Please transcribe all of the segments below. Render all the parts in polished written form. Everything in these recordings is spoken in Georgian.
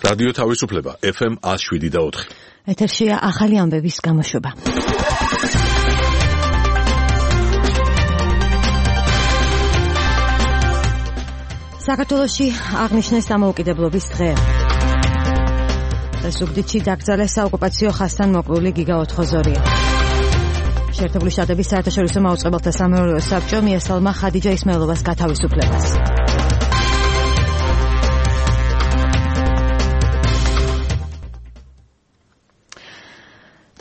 რადიო თავისუფლება FM 107.4. ეთერშია ახალი ამბების გამოშვება. საქართველოში აღნიშნეს დამოუკიდებლობის დღე. ზუგდიდში დაკრძალეს საოკუპაციო ხაზთან მოკლული გიგა ოთხოზორია. შეერთებული შტატების საერთაშორისო მაუწყებელთა სამეურვეო საბჭო მიესალმა ხადიჯა ისმაილოვას გათავისუფლებას.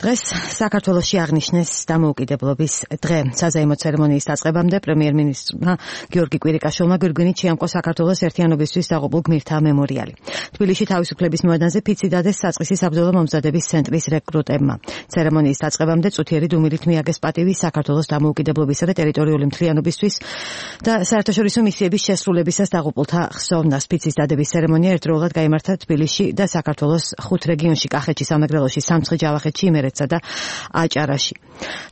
დღეს საქართველოში აღნიშნეს დამოუკიდებლობის დღე. საზეიმო ცერემონიის დაწყებამდე პრემიერ-მინისტრმა გიორგი კვირიკაშვილმა გვირგვინით შეამკო საქართველოს ერთიანობისთვის დაღუპულ გმირთა მემორიალი. თბილისში თავისუფლების მოედანზე ფიცი დადეს საწყისი საბრძოლო მომზადების ცენტრის რეკრუტებმა. ცერემონიის დაწყებამდე წუთიერი დუმილით მიაგეს პატივი საქართველოს დამოუკიდებლობისა და ტერიტორიული მთლიანობისთვის და საერთაშორისო მისიების შესრულებისას დაღუპულთა ხსოვნას. ფიცის დადების ცერემონია ერთდროულად გაიმართა თბილისში და საქართველოს 5 რეგიონში: კახეთში, სამეგრელოში, სამცხე, ჯავახეთში, იმერეთსა და აჭარაში.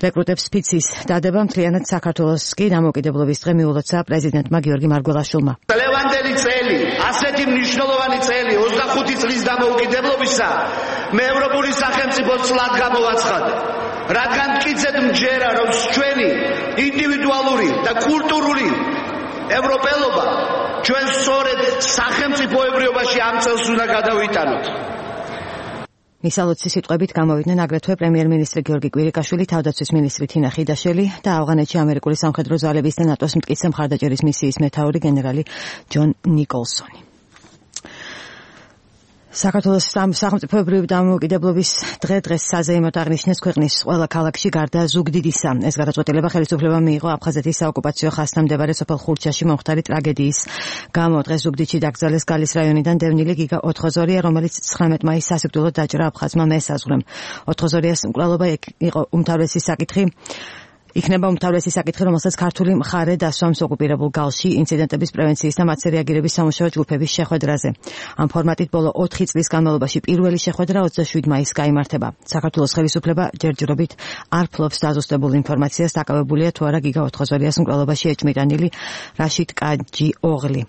რეკრუტებს ფიცის დადება მთლიანად საქართველოს კი დამოუკიდებლობის დღე მიულოცა პრეზიდენტმა გიორგი მარგველაშვილმა. ლევანდელი წელი, ასეთი მნიშვნელოვანი წელი 25 წლის დამოუკიდებლობისა მე ევროპული სახელმწიფო წლად გამოვაცხადე. რადგან მტკიცედ მჯერა, რომ ჩვენი ინდივიდუალური და კულტურული ევროპელობა ჩვენ სწორედ სახელმწიფოებრიობაში ამ წელს უნდა გადავიტანოთ. მისალოცი სიტყვებით გამოვიდნენ აგრეთვე პრემიერ-მინისტრი გიორგი კვირიკაშვილი, თავდაცვის მინისტრი თინა ხიდაშელი და ავღანეთში ამერიკული სამხედრო ძალების და ნატოს მტკიცე მხარდაჭერის მისიის მეთაური გენერალი ჯონ ნიკოლსონი. საქართველოს სახელმწიფოებრივი დამოუკიდებლობის დღეს საზეიმოდ აღნიშნეს ქვეყნის ყველა ქალაქში გარდა ზუგდიდისა. ეს გადაწყვეტილება ხელისუფლებამ მიიღო აფხაზეთის საოკუპაციო ხაზთან მდებარე სოფელ ხურჩაში მომხდარი ტრაგედიის გამო. დღეს ზუგდიდში დაკრძალეს გალის რაიონიდან დევნილი გიგა ოთხოზორია, რომელიც 19 მაისს სასიკვდილოდ დაჭრა აფხაზმა მესაზღვრემ. ოთხოზორიას მკვლელობა იყო იქნება უმთავრესი საკითხი, რომელსაც ქართული მხარე დასვამს ოკუპირებულ გალში ინციდენტების პრევენციის და მათზე რეაგირების სამუშაო ჯგუფების შეხვედრაზე. ამ ფორმატით ბოლო 4 წლის განმავლობაში პირველი შეხვედრა 27 მაისს გაიმართება. საქართველოს ხელისუფლება ჯერჯერობით არ ფლობს დაზუსტებულ ინფორმაციას, დაკავებულია თუ არა გიგა ოთხოზორიას მკვლელობაში ეჭმიტანილი რაშიდ კაჯი ოღლი.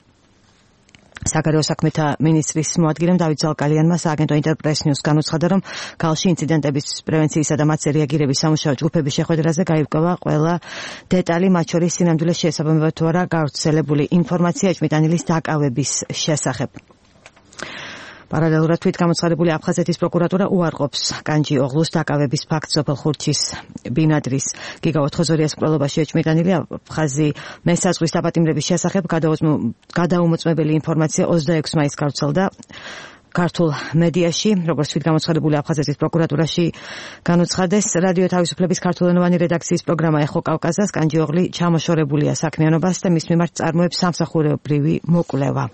საგარეო საქმეთა მინისტრის მოადგილემ დავით ზალკალიანმა სააგენტო ინტერპრეს ნიუს განუცხადა, რომ გალში ინციდენტების პრევენციისა და მათზე რეაგირების სამუშაო ჯგუფების შეხვედრაზე გაირკვევა ყველა დეტალი, მათ შორის სინამდვილეს შესაბამება თუ არა გავრცელებული ინფორმაცია ეჭმიტანილის დაკავების შესახებ. პარალელურად თვით გამოცხადებული აფხაზეთის პროკურატურა უარყოფს კანჯი ოღლუს დაკავების ფაქტს სოფელ ხურჩის ბინადრის გიგა ოთხოზორიას მკვლელობაში ეჭმიტანილი აფხაზი მესაზღვის დაპატიმრების შესახებ გადაუმოწმებელი ინფორმაცია 26 მაისს გავრცელდა ქართულ მედიაში, როგორც თვით გამოცხადებული აფხაზეთის პროკურატურაში განუცხადეს. რადიო თავისუფლების ქართულენოვანი რედაქციის პროგრამა ეხო კავკაზას კანჯი ოღლი ჩამოშორებულია საქმიანობას და მის მიმართ წარმოებს სამსახურებრივი მოკვლევა.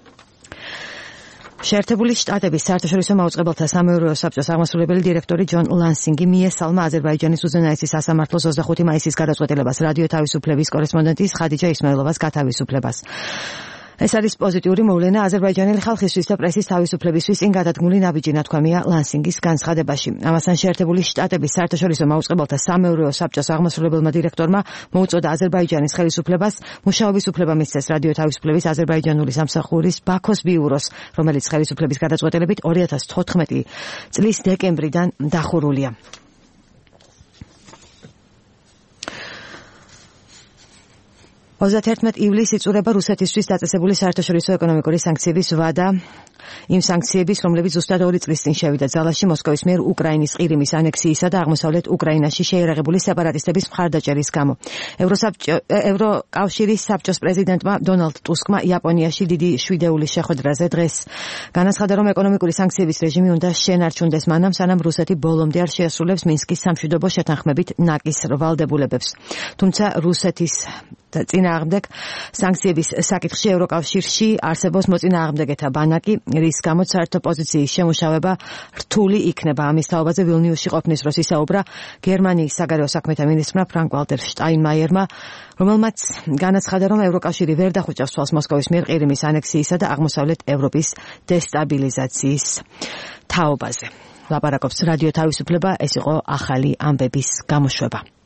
შეერთებული შტატების საერთაშორისო მაუწყებელთა სამეურვეო საბჭოს აღმასრულებელი დირექტორი ჯონ ლანსინგი მიესალმა აზერბაიჯანის უზენაესის სასამართლოს 25 მაისის გადაწყვეტილებას რადიო თავისუფლების კორესპონდენტის ხადიჯა ისმაილოვას გათავისუფლებას. ეს არის პოზიტიური მოვლენა აზერბაიჯანელი ხალხისთვის და პრესის თავისუფლებისთვის წინ გადადგმული ნაბიჯი, ნათქვამია ლანსინგის განცხადებაში. ამასთან შეერთებული შტატების საერთაშორისო მაუწყებელთა სამეურვეო საბჭოს აღმასრულებელმა დირექტორმა მოუწოდა აზერბაიჯანის ხელისუფლებას მუშაობის უფლება მისცეს რადიო თავისუფლების აზერბაიჯანული სამსახურის ბაქოს ბიუროს, რომელიც ხელისუფლების გადაწყვეტილებით 2014 წლის დეკემბრიდან დახურულია. 31 ივლისს იწურება რუსეთისთვის დაწესებული საერთაშორისო ეკონომიკური სანქციების ვადა. იმ სანქციების, რომლებიც ზუსტად 2 წლის წინ შევიდა ძალაში მოსკოვის მიერ უკრაინის ყირიმის ანექსიისა და აღმოსავლეთ უკრაინაში შეიარაღებული სეპარატისტების მხარდაჭერის გამო. ევროკავშირის საბჭოს პრეზიდენტმა დონალდ ტუსკმა იაპონიაში დიდი შვიდეულის შეხვედრაზე დღეს განაცხადა, რომ ეკონომიკური სანქციების რეჟიმი უნდა შენარჩუნდეს მანამ, სანამ რუსეთი ბოლომდე არ შეასრულებს მინსკის სამშვიდობო შეთანხმებით ნაკის ვალდებულებებს. თუმცა რუსეთის წინააღმდეგ სანქციების საკითხში ევროკავშირში არსებობს მოწინააღმდეგეთა ბანაკი, რის გამოც საერთო პოზიციის შემუშავება რთული იქნება. ამის თაობაზე ვილნიუსში ყოფნის დროს ისაუბრა გერმანიის საგარეო საქმეთა მინისტრმა ფრანკ ვალტერ შტაინმაიერმა, რომელმაც განაცხადა, რომ ევროკავშირი ვერ დახუჭავს თვალს მოსკოვის მიერ ყირიმის ანექსიისა და აღმოსავლეთ ევროპის დესტაბილიზაციის თაობაზე. ლაპარაკობს რადიო თავისუფლება, ეს იყო ახალი ამბების გამოშვება.